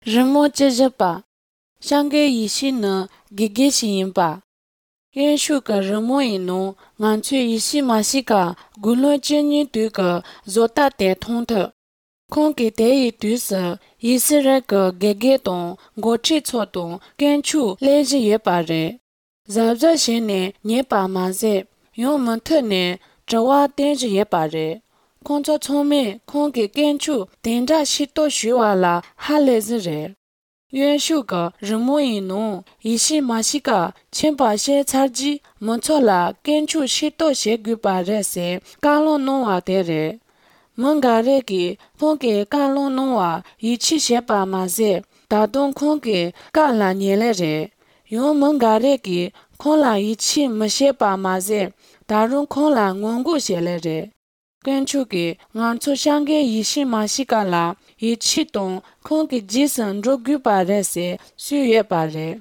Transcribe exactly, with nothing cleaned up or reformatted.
Rimo Jejapa, Shange Yishi na Gigeshi Yimpa. Yen Shuka Rimo Ino, Nganchu Yishi Mashika, Gulo Jenny Duka, Zota Te Tonte. Kongi Dei Dusa, Yisireka Gegeton, Gochi Choton, Genchu, Leji Yepare. Zabza Shene, Niepa Maze, Yomantene, Jawa Denji Yepare. Konzo Tome, Kongi Genchu, Denja Shito Shuala, Halezre. Yuan Shuga, Rimo Ino, Ishi Mashika, Chenpa She Charji, Montola, Genchu Shito She Gupare Se, Galo Noa Dere. Mongareki, Kongi Galo Noa, Ichi Shepa Maze, Dadon Kongi, Gala Nielere. Yon Mongareki, Kola Ichi Mashepa Maze, Darun Kola Ngongu Shelere. Genchuki, Nganchu Shange Yishi Mashika la, Ichi Don, Kongi Jisen Rogu Pare Se, Suye Pare.